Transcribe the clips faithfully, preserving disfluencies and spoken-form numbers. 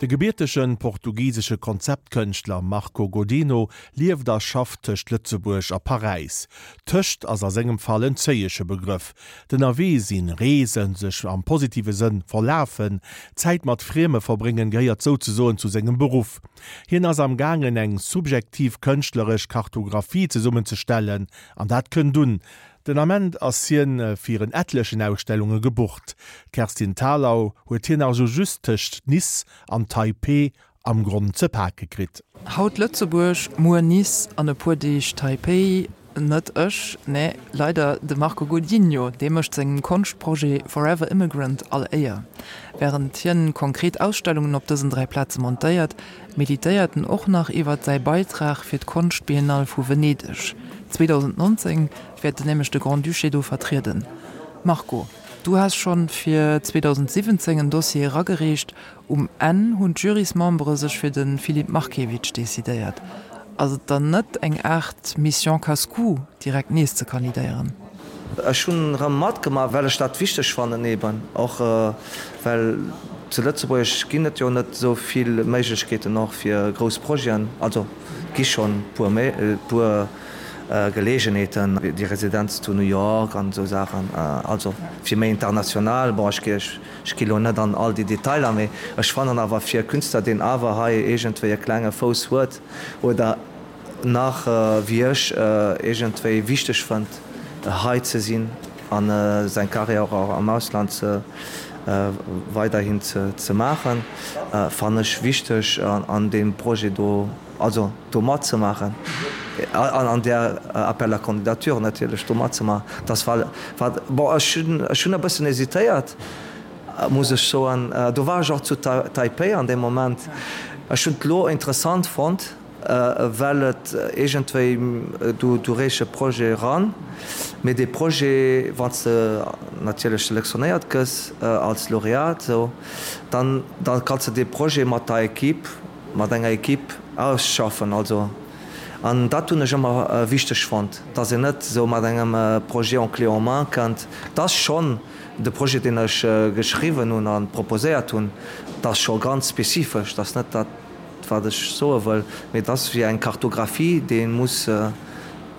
gebiertege portugisesche Konzeptkënschtler Marco Godinho lieft a schafft tëscht Lëtzebuerg a Paräis. Tëscht ass a sengem Fall en zéiege Begrëff. D'Ënnerwee sinn, reesen, sech am positive Sënn verlafen, Zäit mat Frieme verbréngen gehéiert souzesoen zu sengem Beruff. Hien ass am gaangen eng subjektiv kënschtleresch Kartographie zesummenzestellen, an dat kënnt un. Den Ament ass hien fir en etlechen Ausstellunge gebucht. D'Kerstin Thalau huet hien also just tëscht Nice an Taipeh am Gronn ze pake kritt. Haut Lëtzebuerg, muer Nice an e puer Deeg Taipei. Net ech, nee, leider de Marco Godinho, dee mécht sengem Konschtprojet Forever Immigrant all Éier. Wärend hien konkret Ausstellungen op dësen dräi Plaze montéiert, meditéiert en och nach iwwer säi Beitrag fir d'Konschtbiennale vu Venedeg. zweedausendnonzéng wäert en nämlech de Grand-Duché do vertrieden. Marco, du has schonn fir zweedausendsiwwenzéng en Dossier eragereecht. Um Enn hunn d'Jurysmembere sech fir de Filip Markiewicz decidéiert. Ass et dann net eng Aart Mission casse-cou, direkt nees ze kandidéieren? Ech hunn erëm matgemaach, well ech dat wichteg fannen, eben och well zu Lëtzebuerg ginn et jo net esou vill Méiglechkeeten och fir grouss Projeten. Also et gi schonn e puer Geleegenheeten, déi Residenz zu New York an esou Saachen, also fir méi international. Bon, ech gi elo net an all déi Detailer, mee ech fannen awer fir e Künstler, deen awer hei iergendwéi e klenge Fouss huet oder nach wéi ech iergendwéi wichteg fënnt, hei ze sinn a seng Carrière och am Ausland ze weiderhin ze maachen, fannen ech wichteg an deem Projet do, also do matzemaachen, an an där Appel à candidature natierlech do matzemaachen. Dass war, war, bon, ech hunn, ech hunn e bëssen hesitéiert, muss ech soen. Do war ech och zu Taipei an deem Moment. Ech hunn et elo interessant fonnt, well et iergendwéi, du, du reechs e Projet eran, mee dee Projet, wann s de natierlech selektionéiert gëss als Laureat, esou, dann, da kanns de dee Projet mat der Equipe, mat enger Equipe ausschaffen. Also, an dat hunn ech ëmmer wichteg fonnt, dass een net esou mat engem Projet en clé en main kënnt. Et ass schonn de Projet, deen ech geschriwwen hunn a proposéiert hunn, dat ass scho ganz spezifesch, dat ass net dat, wat ech soe wëll, mee et ass wéi eng Kartographie, déi ee muss,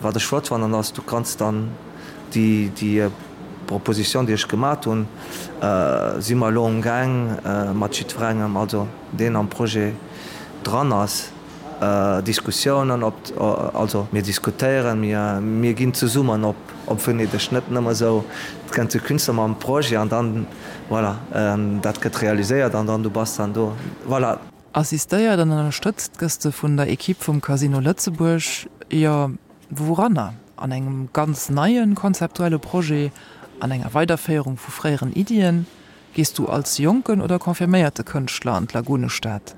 wat ech flott fannen, ass, du kanns dann déi, déi Proposition, déi ech gemat hunn, si mer elo amgaang mat jiddwerengem, also deen am Projet dran ass, Diskussiounen op, also mir diskutéieren, mir, mir ginn zesummen op, op Venedeg, net nëmme esou, et kënnt e Künstler mam Projet an dann, voilà, dat gëtt realiséiert an dann du bass dann do, voilà. Assistéiert an ënnerstëtzt gëss de vun der Equipe vum Casino Lëtzebuerg, jo, wouranner? An engem ganz neie konzeptuelle Projet, an enger Weiderféierung vu fréieren Iddien? Gees du als jonken oder confirméierte Kënschtler an d'Lagunestad?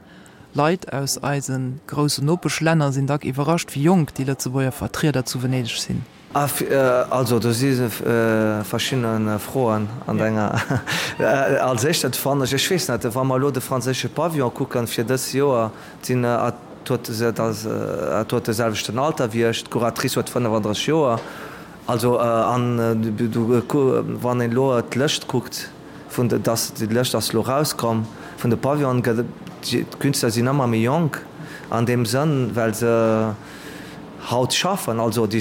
Leit aus eise groussen Nopeschlänner sinn dack iwwerrascht, wéi jonk déi Lëtzebuerger Vertrieder zu Venedeg sinn. Also do si verschidde Froen an denger. Als éischt fannen ech, ech weess net, wa mer elo de franséische Pavillon kucken fir dës Joer, sinn huet et huet de selwechten Alter wéi ech, d'Curatrice huet fënnefandrësseg Joer. Also an wann een elo d'Lëscht kuckt vun de, dass déi Lëscht ass elo erauskomm vun de Pavillonen, gëtt et, d'Künstler sinn ëmmer méi jonk an deem Sënn, well se haut schaffen, also déi,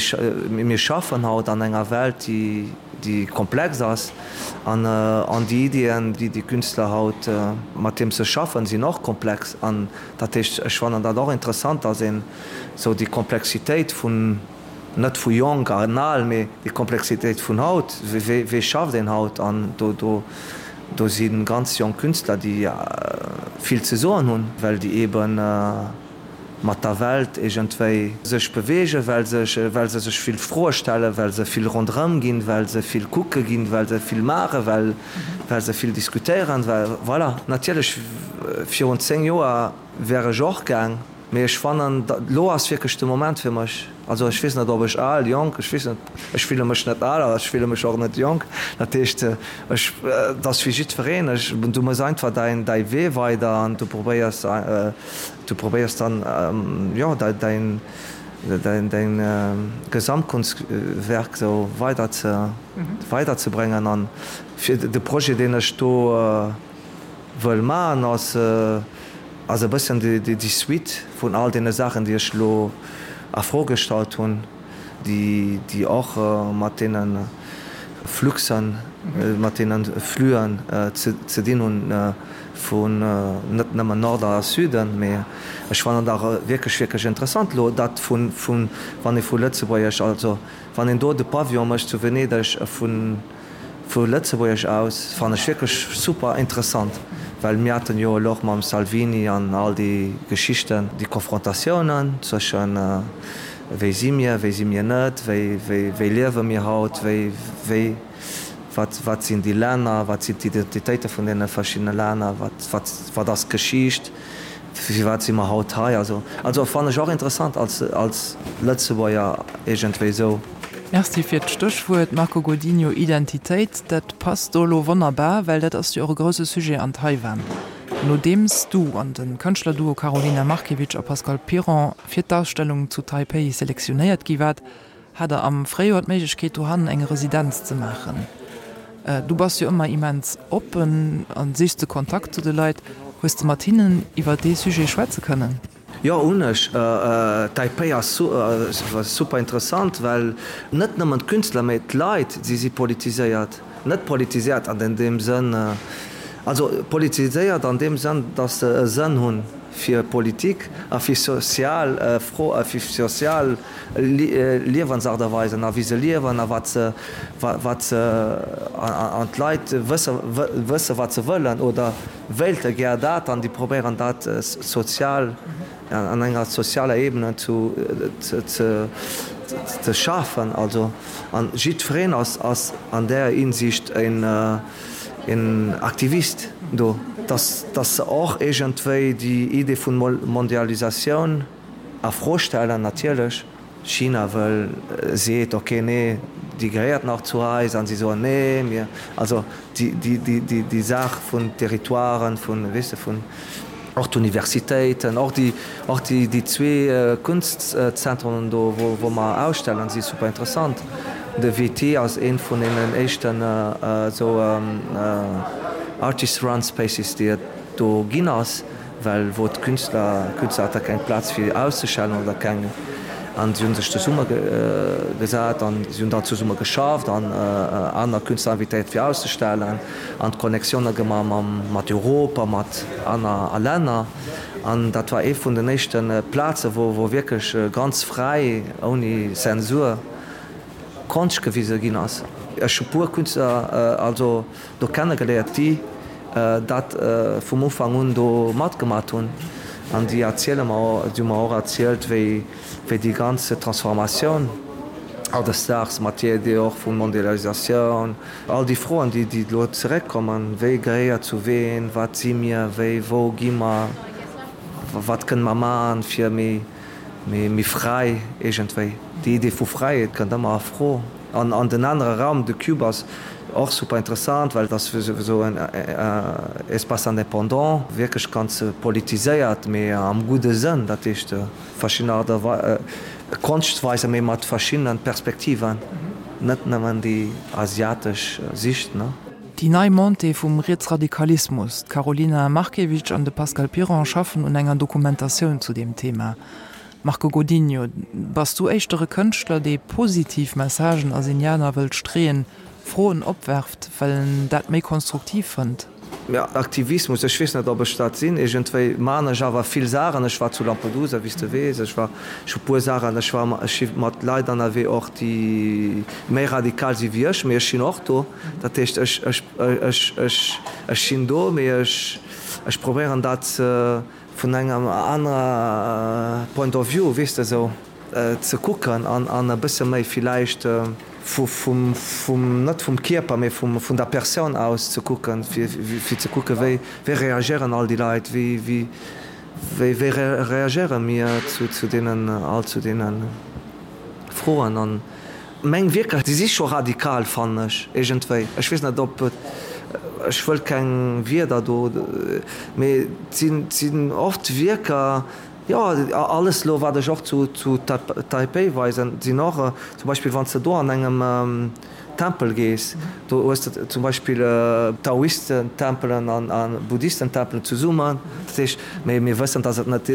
mir schaffen haut an enger Welt, déi, déi komplex ass an, an déi Iddien, déi déi Künstler haut, mat deem se schaffen, sinn och komplex. An dat heescht, ech fannen dat och interessant, dass een esou déi Komplexitéit vun, net vu jonk an al, mee déi Komplexitéit vun haut, wéi, wéi schafft een haut an do, do, do si ganz jonk Künstler, déi vill ze soen hunn, well déi eeben, mat der Welt iergendwéi sech beweegen, well se well se sech vill Froe stellen, well se vill ronderëm ginn, well se vill kucke ginn, well se vill maachen, well well se vill diskutéieren, well voilà. Natierlech virun zéng Joer wär ech och gaang, mee ech fannen, elo ass wierklech de Moment fir mech. Also ech weess net, ob ech al, jonk, ech weess net, ech fille mech net al a ech fille mech och net jonk. Dat heescht, ech, et ass wéi jiddwereen, ech, du méchs einfach däin däi Wee weider an du probéiers, du probéiers dann, jo, däin däin däin Gesamtkunstwerk esou weider ze weiderzebréngen. An fir de Projet, deen ech do wëll maachen, ass, ass e bëssen déi, déi Suite vun all deene Saachen, déi ech elo a Fro gestallt hunn, déi, déi och mat deene Fluxen, mat deene Fluen ze, ze dinn hunn vun net nëmmen Nord a Süden, mee ech fannen dat och wierklech, wierklech interessant elo, dat vun, vun, wann ee vu Lëtzebuerg, also wann een do de Pavillon mécht zu Venedeg vun, Vu Lëtzebuerg aus fannen ech wierklech super interessant, well mir haten jo elo och mam Salvini an all déi Geschichten, déi Konfrontatiounen zwëschen wéi si mir, wéi si mir net, wéi, wéi, wéi liewe mir haut, wéi, wéi, wat, wat sinn déi Länner, wat sinn d'Identitéite vun deene verschiddene Länner, wat, wat, wat ass d'Geschicht, firwat si mer haut hei. Also, also fannen ech och interessant als, als Lëtzebuerger iergendwéi esou. Merci fir d'Stéchwuert, Marco Godinho. Identitéit, dat passt do elo wonnerbar, well dat ass jo och e grousse Sujet an Taiwan. Nodeems du an de Kënschtlerduo Karolina Markiewicz a Pascal Piron fir d'Ausstellung zu Taipei selektionéiert gi waart, hat der am Fréijoer d'Méiglechkeet dohannen eng Residenz ze maachen. Du bass jo ëmmer immens oppen a sichs de Kontakt zu de Leit. Hues de mat hinnen iwwer dee Sujet schwätze kënnen? Jo, hunn ech. Taipei ass super interessant, well net nëmmen d'Künstler, mee d'Leit, si si politiséiert. Net politiséiert an deem Sënn, also politiséiert an deem Sënn, datt se e Sënn hunn fir Politik a fir sozial Fro, fir sozial Liewensaart a Weisen a wéi se liewen a wat se, wat se, an d'Leit wësse, wësse wat se wëllen oder wéilte gär dat an déi probéieren dat sozial an enger sozialer Ebene zu ze ze schafen. Also an jiddwereen ass ass an där Hinsicht een een Aktivist do, dass dass se och iergendwéi déi Idee vun Mondialisatioun a Fro stellen natierlech. China wëll, seet, ok, nee, déi gehéiert nach zu eis, an si soen, nee, mir, also déi, déi, déi, déi Saach vun Territoiren, vun, weess de, vun och d'Universitéiten, och déi, och déi, déi zwee Kunstzentren do, wou, wou mer ausstellen, si super interessant. De W T ass ee vun deenen éischten esou artist run spaces, déi et do ginn ass. Well wou d'Künstler, Künstler hate keng Plaz fir auszestellen oder keng, an si hu sech zesumme gesat an si hunn dann zesumme geschafft an aner Künstler invitéiert fir auszestellen an d'Connectionne gemaach mam mat Europa, mat aner Länner. An dat war ee vun den éischte Plaze wou wou wierklech ganz fräi, ouni Zensur Konscht gewise ginn ass. Ech hu puer Künstler also do kennegeléiert, déi dat vum Ufank un do matgemat hunn an déi erziele mer, déi hu mer och erzielt, wéi wéi déi ganz Transformatioun hautdesdaags mat där Idee och vu Mondialisatioun, all déi Froen, déi déi elo zeréckkommen, wéi gehéiert zu ween, wat si mir, wéi, wou gi mer, wat kënne mer maachen, fir méi méi fräi iergendwéi. Déi Idee vu Fräiheet kënnt ëmmer a Fro. An an den anere Raum, de Cube ass och super interessant, well et ass esou en Espace indépendant, wierklech ganz politiséiert, mee am gudde Sënn, dat heescht verschidden Aart a Konschtweisen, mee mat verschiddene Perspektiven, net nëmmen déi asiatesch Sicht, ne. Déi nei Montée vum Rietsradikalismus, D'Karolina Markiewicz an de Pascal Piron schaffen un enger Dokumentatioun zu deem Thema. Marco Godinho, bass du éischter e Kënschtler, dee positiv Messagen a Signaler wëllt streeën, Froen opwerft, well en dat méi konstruktiv fënnt? Jo, Aktivismus, ech weess net, ob ech dat sinn. Iergendwéi maan ech awer vill Saachen. Ech war zu Lampedusa, wéi s de weess. Ech war, ech hu puer Saachen, ech war, ech si mat Leit ënnerwee och, déi méi radikal si wéi ech, mee ech sinn och do. Dat heescht, ech, ech, ech, ech, ech sinn do, mee ech, ech probéieren dat ze, vun engem anerer Point of view, weess de, esou ze kucken an an e bësse méi villäicht vu vum vum net vum Kierper, mee vum vun der Persoun aus ze kucken, fir fir ze kucken, wéi wéi reagéieren all déi Leit, wéi wéi wéi wéi reagéiere mir zu zu deenen all zu deene Froen an Meng Wierker, déi si scho radikal, fannen ech iergendwéi. Ech weess net, ob et, ech wëll keng Wierder do, mee et sinn, et sinn oft Wierker, jo, alles elo, wat ech och zu, zu Taipei weisen, sinn och, zum Beispill wann s de do an engem Tempel gees, do hues de zum Beispill Taoistentempelen a Buddhistentempelen zesummen. Dat heescht, mee mir wëssen, datt et net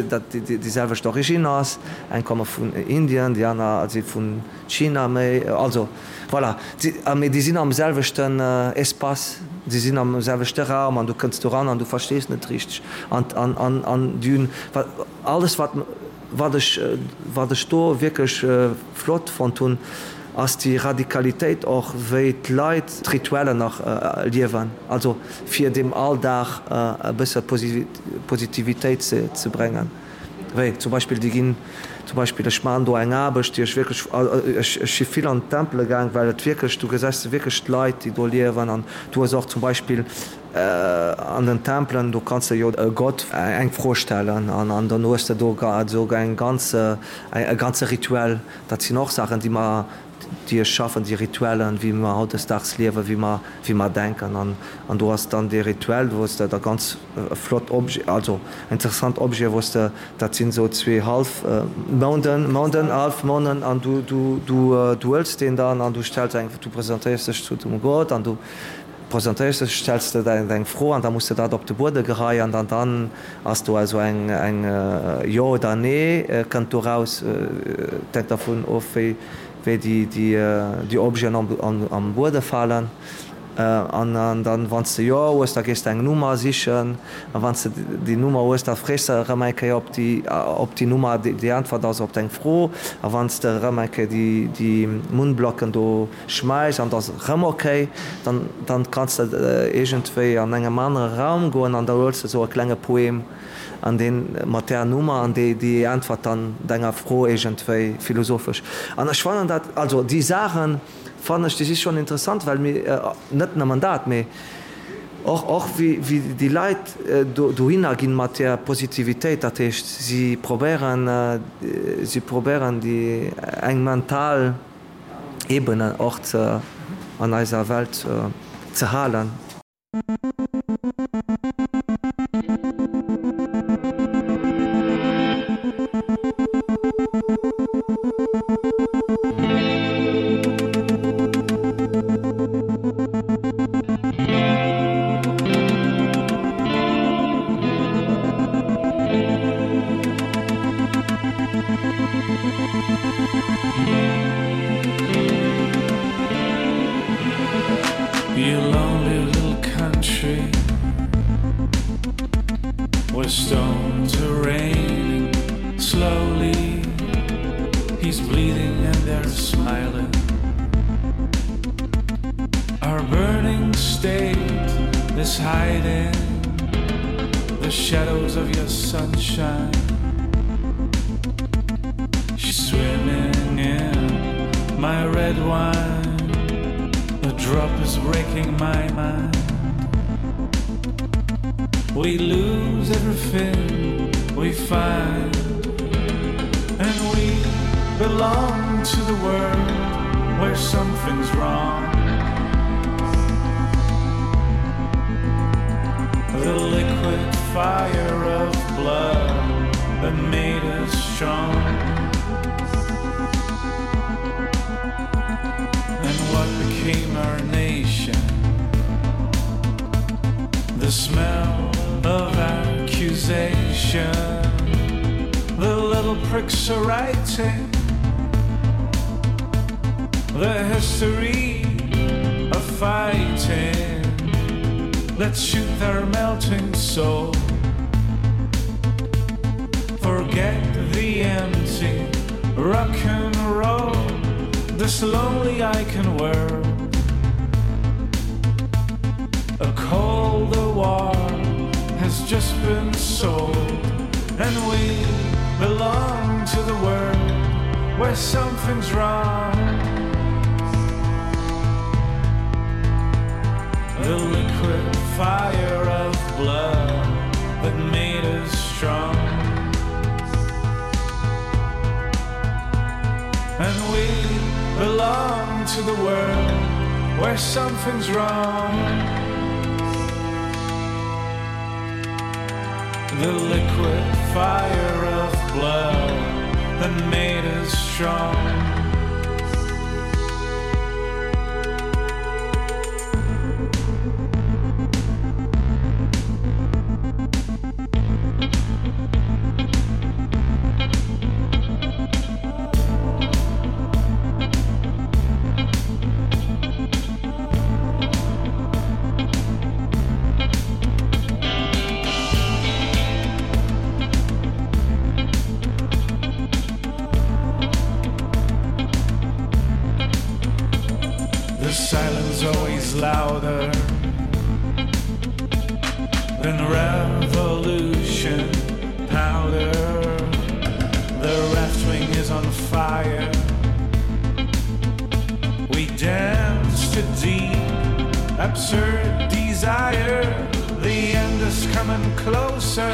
déi selwecht Origine ass. Eng komme vun Indien, déi aner si vun China méi. Also voilà, mee déi sinn am selwechten Espace, déi sinn am selwechte Raum an du kënns do ran an du verstees net richteg. An an déi hunn alles wat wat ech wat ech do wierklech flott fonnt hunn, ass déi Radikalitéit och, wéi d'Leit d'Rituellen nach liewen, also fir dem Alldag e bësse Positivitéit ze bréngen. Wéi zum Beispill, déi ginn zum Beispill, ech maachen do eng Aarbecht, déi ech wierklech, ech si vill an d'Tempele gaang, well et wierklech, du gesäis wierklech d'Leit, déi do liewen an du hues och zum Beispill an den Tempelen, do kanns de jo e Gott eng Fro stellen an dann hues de do esou eng ganz, e ganze Rituel. Dat sinn och Saachen, déi mer, déi ech schaffen, déi Rituellen, wéi mer hautdesdaags liewen, wéi mer, wéi mer denken. An, an do ass dann dee Rituel, wou s de da ganz flott Objet, also interessant Objete, wou s de, dat sinn esou zwee Hallfmounden, Mounden, Hallfmounden, an du, du, du, du huels deen dann an du stells eng, du presentéiers dech zu dem Gott an du presentéiers dech, stells de deng Fro an da muss de dat op de Buede geheien an dann ass do also eng, eng Jo oder Nee kënnt do raus, et hänkt dervun of wéi, wéi déi, déi, déi Objeten am, am Buede falen. An dann, wann s de Jo hues, da gees de eng Nummer sichen a wann s de déi Nummer hues, da frees de erëm eng Kéier op déi, op déi Nummer déi Äntwert ass op deng Fro. A wann s de erëm eng Kéier déi, déi Munnblocken do schmäiss an et ass erëm ok, dann, dann kanns de iergendwéi an engem anere Raum goen an da huels de esou e klenge Poem an deen mat där Nummer an déi, déi äntwert dann denger Fro iergendwéi philosophesch. An ech fannen dat, also déi Saachen fannen ech, déi si schonn interessant, well mir, net nëmmen dat, mee och, och wéi, wéi déi Leit do, dohinner ginn mat där Positivitéit, dat heescht si probéieren, si probéieren déi eng mental Ebene och ze, an eiser Welt ze halen. You lonely little country Where stones are raining slowly He's bleeding and they're smiling Our burning state is hiding The shadows of your sunshine She's swimming in my red wine The drop is breaking my mind We lose everything we find And we belong to the world where something's wrong The liquid fire of blood that made us strong And what became our nation? The smell of accusation The little pricks are writing The history of fighting Let's shoot their melting soul Forget the empty rock and roll This lonely icon world A colder war has just been sold And we belong to the world where something's wrong The liquid fire of blood that made us strong And we belong to the world where something's wrong The liquid fire of blood that made us strong is always louder than revolution powder. The left wing is on fire. We dance to deep, absurd desire. The end is coming closer.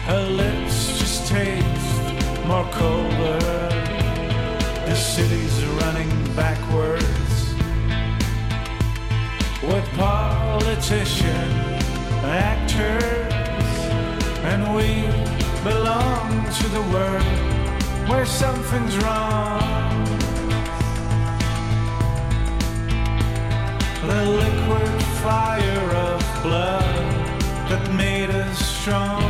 Her lips just taste more colder. The city's running backwards with politician actors, and we belong to the world where something's wrong. The liquid fire of blood that made us strong.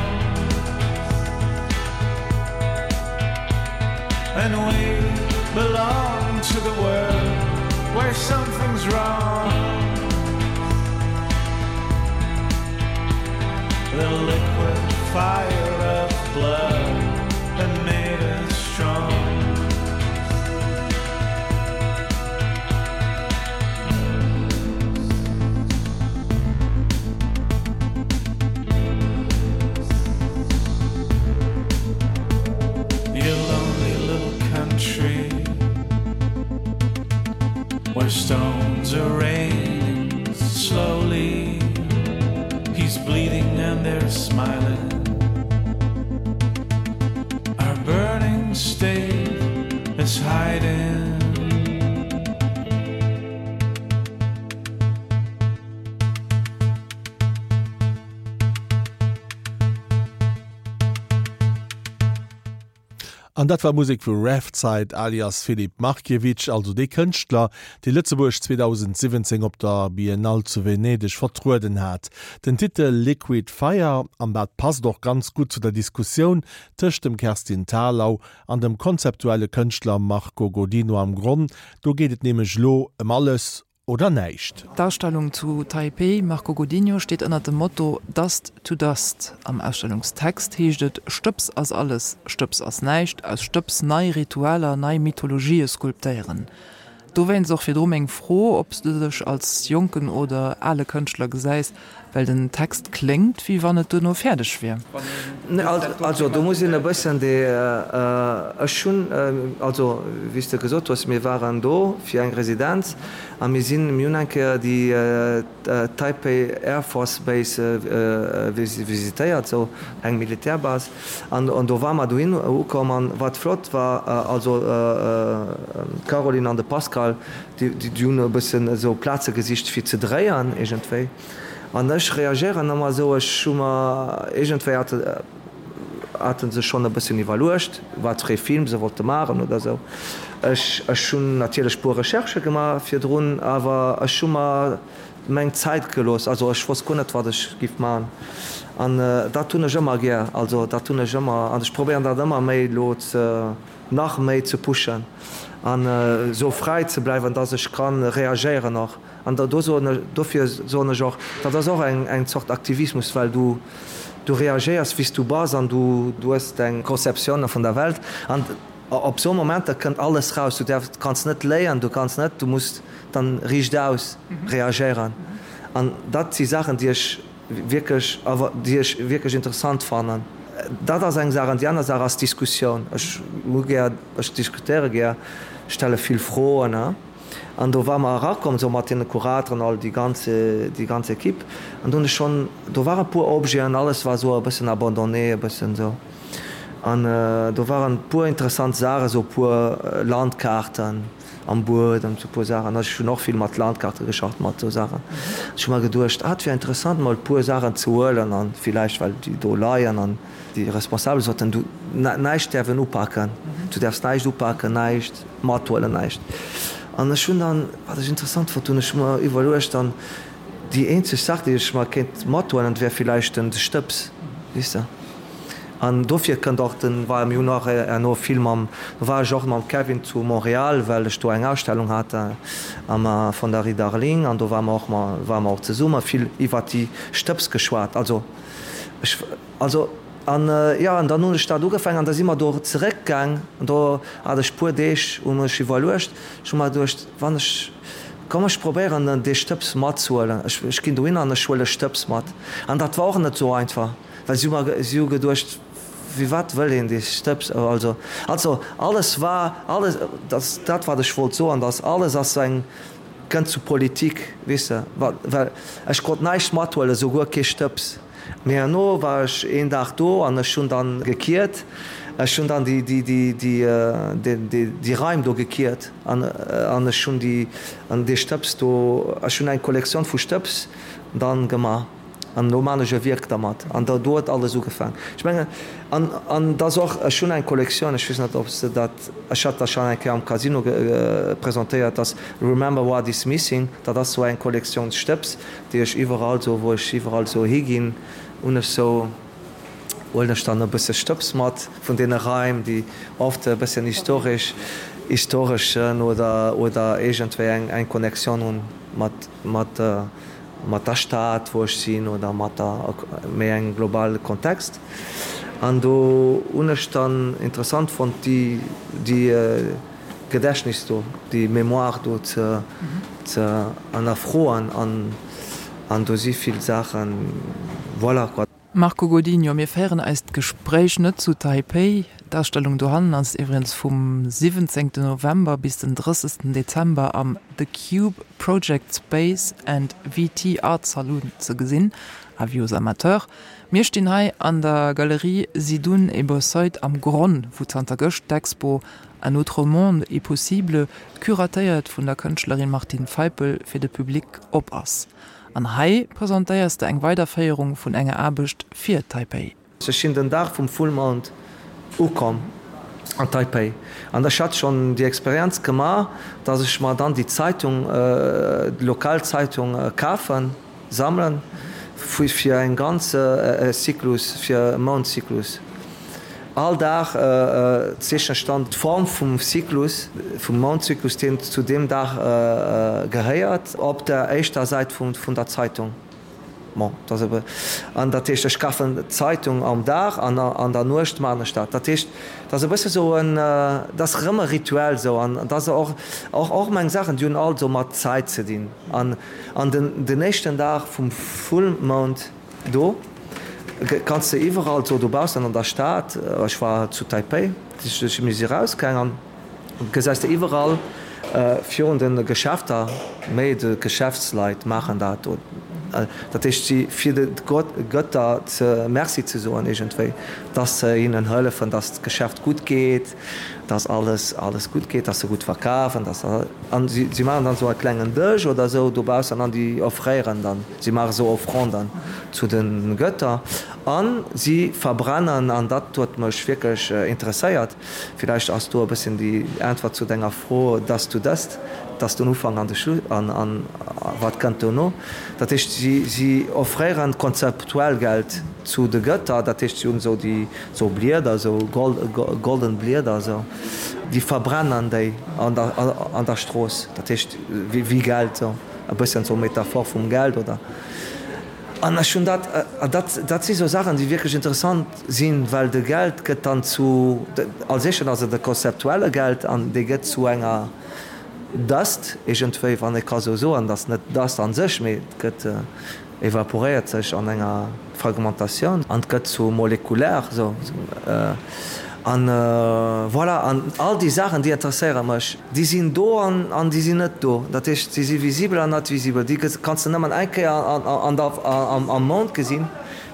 And we belong to the world where something's wrong. The liquid fire of blood that made us strong. Your lonely little country where stones are raining slowly. He's bleeding and they're smiling. Our burning state is hiding. An dat war Musek vu Raftside alias Filip Markiewicz, also dee Kënschtler, dee Lëtzebuerg zweedausendsiwwenzéng op der Biennale zu Venedeg vertrueden hat. Den Titel Liquid Fire, an dat passt och ganz gutt zu der Diskussioun tëscht dem Kerstin Thalau an dem konzeptuelle Kënschtler Marco Godino am Gronn, do geet et nämlech lo ëm alles oder näischt. D'Ausstellung zu Taipei, Marco Godinho, steet ënner dem Motto Dust to Dust. Am Ausstellungstext heescht et, Stëbs ass alles, Stëbs ass näischt, aus Stëbs nei Ritualer, nei Mythologië skulptéieren. Dowéinst och virdru meng Fro, ob s du dech als jonken oder ale Kënschtler gesäis, well den Text kléngt, wéi wann et duerno fäerdeg wier. Also do muss een e bëssen déi, ech hunn, also wéi s de gesot hues, mir waren do fir eng Residenz a mir sinn, mir hunn eng Kéier déi Taipei Air Force Base visitéiert, esou eng Militärbase, an do ware mer dohin ukomm an wat flott war, also d'Caroline an de Pascal, déi hunn e bëssen esou Plaze gesicht fir ze dréien iergendwéi. An ech reagéieren ëmmer esou, ech hu mer iergendwéi hate hate se schonn e bëssen iwwerluecht, wat fir ee Film se wollte maachen oder esou. Ech ech hunn natierlech puer Recherchë gemaach virdrun, awer ech hu mer meng Zäit gelooss. Also ech wosst guer net, wat ech giff maachen. An dat hunn ech ëmmer gär, also dat hunn ech ëmmer an ech probéieren dat ëmmer méi elo ze nach méi ze pushen an esou fräi ze bleiwen, dass ech kann reagéieren och. An do soen ech, dofir soen ech och, dat ass och eng eng Zort Aktivismus, well du du reagéiers wéi s du bass an du du hues deng Conceptioune vun der Welt an op esou Momenter kënnt alles raus. Du däerfs, kanns net léien, du kanns net, du muss dann riichtaus reagéieren. An dat si Saachen, déi ech wierklech awer déi ech wierklech interessant fannen. Dat ass eng Saach an déi aner Saach ass d'Diskussioun. Ech hu gär, ech diskutéiere gär, stelle vill Froen. An do ware mer erakomm, esou mat deene Kurateren, all déi ganz, déi ganz Equipe. An do hunn ech schonn, do ware puer Objeten, alles war esou e bëssen abandonné, e bëssen esou. An do waren e puer interessant Saachen, esou e puer Landkaarten am Buedem, esou e puer Saachen. Ech hunn och vill mat Landkaarte geschafft, mat esou Saachen. Ech hu mer geduecht, ah, et wier interessant, mol e puer Saachen ze huelen an villäicht, well déi do leien an déi Responsabel soten, du, näischt däerf een upaken, du däerfs näischt upaken, näischt mathuelen, näischt. An ech hunn dann, wat ech interessant fonnt hunn, ech hu mer iwwerluecht dann, déi eenzeg Saach, déi ech mer kéint mathuelen, dat wär villäicht den Stëbs, weess de. An dofir kënnt och den, war, mir hunn och herno vill mam, do war ech och mam Kevin zu Montréal, well ech do eng Ausstellung hat am Fonderie Darling, an do ware mer och, ware mer och zesumme, vill iwwert déi Stëbs geschwat. Also ech, also An jo, an dann hunn ech dat ugefaangen an da si mer do zeréckgaang an do hat ech puer Deeg, hu mech iwwerluecht. Ech hu mer geduecht, wann ech, komm ech probéieren dee Stëbs matzehuelen, ech, ech ginn dohinner an ech huele Stëbs mat. An dat war och net esou einfach, well si hu mer, si hu geduecht, firwat wëll een dee Stëbs, also, also alles war, alles, dat, dat wat ech wollt soen, dass alles ass eng, kënnt zu Politik, weess de, well ech konnt näischt mathuelen, souguer kee Stëbs. Mee herno war ech een Dag do an ech hunn dann gekiert. Ech hunn dann déi, déi, déi, déi, déi, déi Raim do gekiert an, an ech hunn déi, an dee Stëbs do, ech hunn eng Kollektioun vu Stëbs dann gemaach an elo maan ech e Wierk dermat. An do huet alles ugefaang. Ech mengen, an, an et ass och, ech hunn eng Kollektioun, ech weess net, ob s de dat, ech hat dat schonn eng Kéier am Casino presentéiert, dass Remember what is missing, dat ass sou eng Kollektioun Stëbs, déi ech iwwerall sou, wou ech iwwerall sou higinn, hunn ech sou, huelen ech dann e bësse Stëbs mat vun deene Raim, déi oft e bëssen historesch, historeschen oder, oder iergendwéi eng, eng Connexion hunn mat, mat, mat der Stad, wou ech sinn, oder mat der, méi engem globale Kontext. An do hunn ech dann interessant fonnt, déi, déi Gedächtnis do, déi Mémoire do ze, ze hannerfroen an, an do si vill Saachen, voilà quoi. Marco Godinho, Mir féieren eist Gespréich net zu Taipei. D'Ausstellung dohannen ass iwwregens vum siwwenzéngten November bis den drëssegsten Dezember am The Cube Project Space and V T Art Saloon ze gesinn. Avis aux amateurs. Mir stinn hei an der Galerie Zidoun et Bossuyt am Gronn, wou zanter gëscht d'Expo Un autre monde est possible, curatéiert vun der Kënschtlerin Martine Feipel, fir de Public op ass. An hei presentéiers de eng Weiderféierung vun enger Aarbecht fir Taipei. Ech sinn den Dag vum Fullmound ukomm an Taipei an ech hat schonn déi Experienz gemaach, dass ech mer dann déi Zeitung, déi lokal Zeitung kafen, sammelen fir eng ganz Zyklus, fir e Moundzyklus. All Dag zeechnen ech dann d'Form vum Zyklus, vum Moundzyklus, deen zu deem Dag gehéiert, op der éischter Säit vun der Zeitung. Bon, dat ass ebe, an dat heescht, ech kafen d'Zeitung am Dag an an der Nuecht maachen ech dat. Dat heescht, dat ass e bësse sou en, dat ass erëm e Rituel sou an dat ass och, och, och meng Saachen, déi hunn all sou mat Zäit ze dinn. An, an den, den éischten Dag vum Fullmound do kanns de iwwerall sou dobaussen an der Stad, ech war zu Taipei, mir si rausgaang an gesäis de iwwerall virun de Geschäfter, méi de Geschäftsleit maachen dat, dat heescht si fir de Götter ze Merci ze soen iergendwéi, dass se hinnen hëllefen, dass d'Geschäft gutt geet, dass alles alles gutt geet, dass se gutt verkafen, dass an si si maachen dann esou e klengen Dësch oder esou dobaussen an déi offréieren dann, si maache esou Offranden zu de Götter an si verbrennen, an dat huet mech wierklech interesséiert, villäicht ass do e bësschen déi Äntwert zu denger Fro, dass du dëst, dass den Ufank an de Schluss an an wat kënnt dono. Dat heescht, si si offréieren konzeptuell Geld zu de Gëtter, dat heescht, si hunn esou déi esou Blieder, esou gold golden Blieder esou, déi verbrennen déi an der an der Strooss, dat heescht wéi wéi Geld esou, e bësschen esou Metaphor vum Geld oder. An ech hunn dat, an dat dat si sou Saachen, déi wierklech interessant sinn, well de Geld gëtt dann zu, als éischten ass et e konzeptuelle Geld an dee gëtt zu enger Dust iergendwéi, wann ee ka sou soen, et ass net Dust a sech, mee et gëtt, evaporéiert sech an enger Fragmentatioun an et gëtt zu molekulär sou. An voilà, an all déi Saachen, déi interesséiere mech. Déi sinn do an an déi sinn net do. Dat heescht, si si visibel an net visibel. Déi kanns de nëmmen eng Kéier an der am Mount gesinn,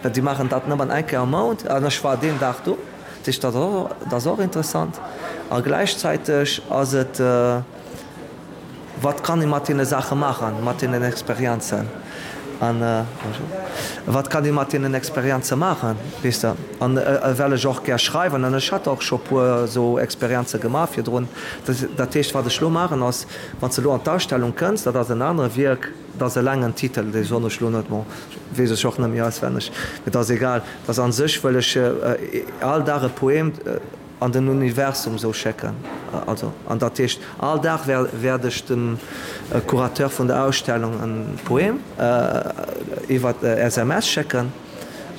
well déi maachen dat nëmmen eng Kéier am Mount. An ech war deen Dag do. Dat heescht, dat ass och interessant. A gläichzäiteg ass et. Wat kann ee mat deene Saache maachen, mat deenen Experienzen? An, bonjour, wat kann ee mat deenen Experienze maachen, weess de? An well ech och gär schreiwen, an ech hat och scho puer esou Experienze gemaach virdrun, dat heescht, wat ech elo maachen ass, wann s de elo an d'Ausstellung kënns, dat ass en anere Wierk, dat ass e laangen Titel, dee soen ech elo net, bon, weess ech och net méi auswenneg, mee dat ass egal, dat ass a sech wëll ech all Dag e Poem, an den Universum sou schécken. Also, an dat heescht, all Dag wäert ech dem Curateur vun der Ausstellung en Poem iwwer S M S schécken.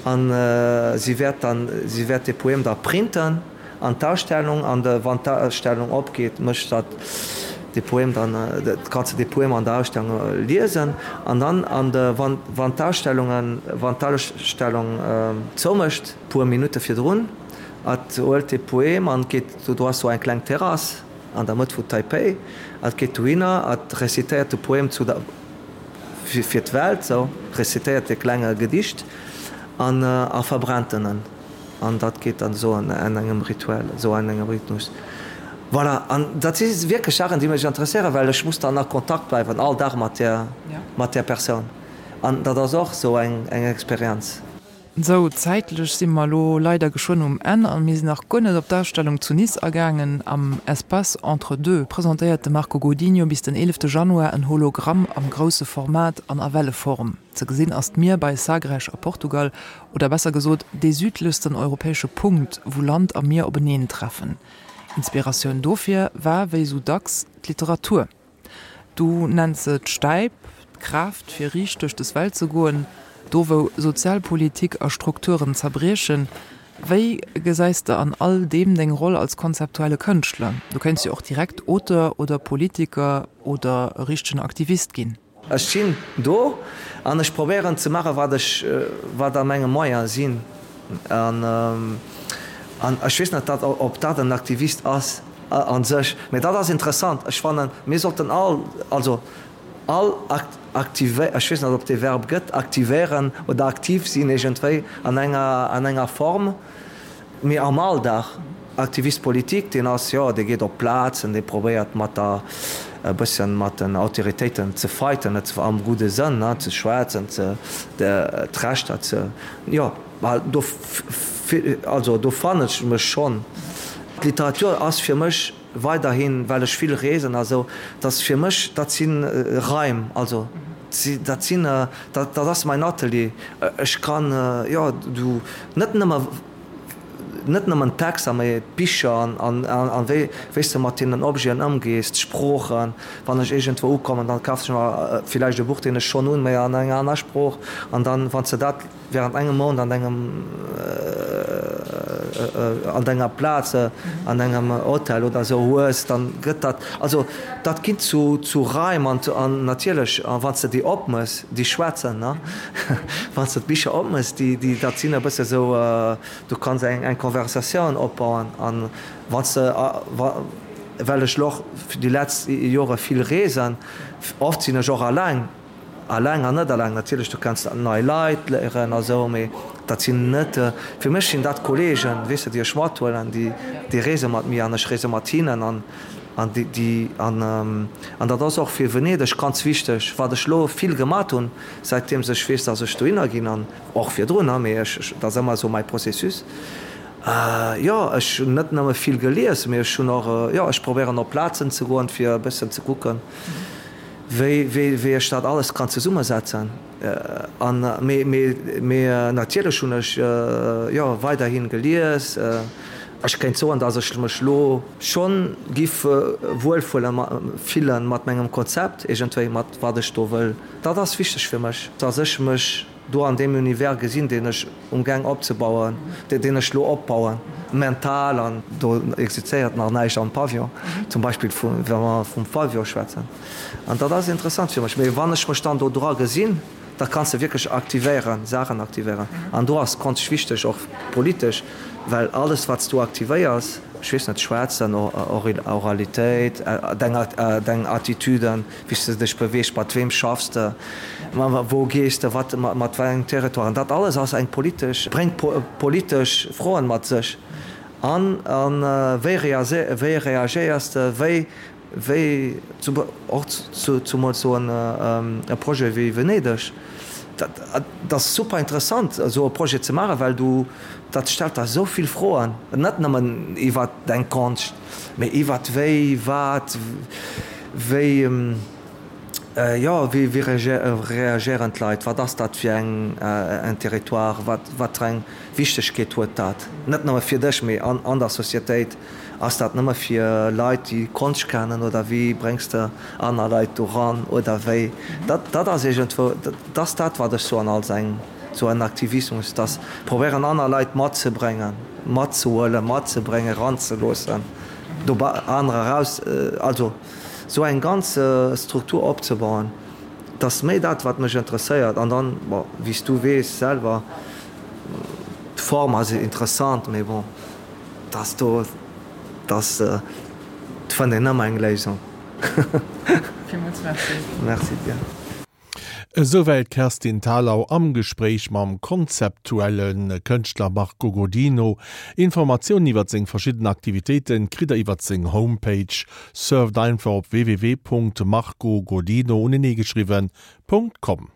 An si wäert dann, si wäert dee Poem da printen an d'Ausstellung, an de wann d'Ausstellung opgeet, mécht dat dee Poem dann, kanns de dee Poem an der Ausstellung liesen. An dann an de wann wann d'Ausstellungen, wann d'Ausstellung zoumécht, puer Minutte virdrun, hat huelt dee Poem an geet, do do ass sou eng kleng Terrass an der Mëtt vu Taipei, hat geet dohinner, hat rezitéiert de Poem zu der fir fir d'Welt, sou rezitéiert dee klenge Gedicht an a verbrennt en en. An dat geet dann esou an engem Rituel, esou an engem Rhythmus. Voilà, an dat si wierklech Saachen, déi mech interesséieren, well ech muss dann a Kontakt bleiwen all Dag mat där, mat där Persoun. An dat ass och esou eng, eng Experienz. Sou, zäitlech si mer elo leider geschwënn um Enn a mir sinn nach guer net op d'Ausstellung zu Nice agaangen. Am Espace Entre Deux presentéiert de Marco Godinho bis den eelefte Januar en Hologramm am grousse Format an a Welleform. Ze gesinn ass d'Mier bei Sagres a Portugal, oder besser gesot dee südlechsten europäesche Punkt, wou Land a Mier openeen treffen. Inspiratioun dofir war, wéi sou dacks, d'Literatur. Du nenns se d'Stäip, d'Kraaft fir riicht duerch des Welt ze goen, do wou Sozialpolitik a Strukturen zerbriechen. Wéi gesäis de an all deem deng Roll als konzeptuelle Kënschtler? Du kéints jo och direkt Auteur oder Politiker oder e richtegen Aktivist ginn. Ech sinn do an ech probéieren ze maachen, wat ech, wat a menge Moyene sinn. An, an ech weess net, dat, ob dat en Aktivist ass a sech, mä dat ass interessant. Ech fannen, mir sollten all, also all aktivé, ech weess net, ob dee Verb gëtt, aktivéieren oder aktiv sinn iergendwéi an enger, an enger Form. Mee am Alldag, Activiste politique, deen ass, jo, dee geet op Plazen, dee probéiert mat der, e bëssen mat den Autoritéiten ze fighten, net am gudde Sënn, ne, ze schwätzen, ze, d'Rechter ze, jo, well do, also do fannen ech mech schonn. D'Literatur ass fir mech weiderhin, well ech vill reesen a sou, dat fir mech, dat si Raim, also dat sinn, dat ass mäin Atelier. Ech kann, jo, du, net nëmme, net nëmmen d'Texter, mee d'Bicher an, an wéi, wéi s de mat deenen Objeten ëmgees, d'Sproochen. Wann ech iergendwou ukommen, dann kafen ech mer villäicht e Buch, deen ech schonn hunn, mee an enger aner Sprooch. An dann, wann s de dat während engem Mount an engem, an denger Plaz, an engem Hotel oder esou hues, dann gëtt dat, also dat ginn zu, zu Raim an, an natierlech, a wann s de déi opmëss, déi schwätzen, ne, wann s de d'Bicher opmëss, déi, déi, dat sinn e bësse sou, du kanns eng, eng Conversatioun opbauen an wann s de, wa, well ech lo och déi letzt Jore vill reesen, oft sinn ech och alleng, Alleng an net alleng, natierlech, du kenns nei Leit léieren a sou, mee dat sinn net, fir mech sinn dat Kollegen, weess de, déi ech mathuelen, déi, déi reese mat mir an ech reese mat hinnen an, an déi, déi, an, an dat ass och fir Venedeg ganz wichteg, wat ech elo vill gemat hunn, säitdeems ech weess, dass ech dohinner ginn an och virdrun, mee ech, dat ass ëmmer esou mäi Processus. Jo, ech hunn net nëmme vill gelies, mee ech hunn och, jo, ech probéieren op Plazen ze goen, fir e bëssen ze kucken, wéi, wéi, wéi ech dat alles kann zesummesetzen. An, mee, mee, mee natierlech hunn ech, jo, weiderhi gelies. Ech kéint soen, datt ech mech elo schonn giff wuel fillen mat mengem Konzept, iergendwéi mat wat ech do wëll. Dat ass wichteg fir mech, datt ech mech do an deem Univers gesinn, deen ech umgaang opzebauen, deen ech elo opbauen, mental, an do existéiert nach näischt am Pavillon, zum Beispill vu wa mer vum Pavillon schwätzen. An dat ass interessant fir mech. Mee wann ech mech dann do dra gesinn, da kanns de wierklech aktivéieren, Saachen aktivéieren. An do ass d'Konscht wichteg, och politesch, well alles, wat s du aktivéiers, ech weess net, schwätzen, Oralitéit, deng Attitüden, wéi s de dech beweegs, mat weem schaffs de, wou gees de, wat, mat wéi engem Territoire, an dat alles ass eng politesch, bréngt politesch Froen mat sech. An wéi reagéiers de, wéi Wéi och zumools esou e Projet wéi Venedeg. Dat ass super interessant, esou e Projet ze maachen, well du, dat stellt der esou vill Froen, net nëmmen iwwer deng Konscht, mee iwwer wéi, wat, wéi, jo, wéi reagéieren d'Leit, wat ass dat fir eng Territoire, wat, wat fir eng Wichtegkeet huet dat, net nëmme fir dech, mee an der Societéit. Ass dat nëmme fir Leit, déi Konscht kennen, oder wéi bréngs de aner Leit doran, oder wéi? Dat, dat ass iergendwou, dat ass dat, wat ech soen als eng, Sou en Aktivismus, dass probéieren aner Leit matzebréngen, matzehuelen, matzebréngen, eranzeloossen, dobei anerer eraus, also sou eng ganz Struktur opzebauen, dat ass méi dat wat mech interesséiert. An dann, bon, wéi s du weess selwer, d'Form ass interessant, mee bon, dass do, dass, et fënnt een ëmmer eng Léisung. Villmools Merci. Merci dir. Esouwäit d'Kerstin Thalau am Gespréich mam konzeptuelle Kënschtler Marco Godino. Informatiounen iwwer seng verschidden Aktivitéite kritt der iwwer seng Homepage. Surft einfach op www.marcogodino, uneneegeschriwwen, .com.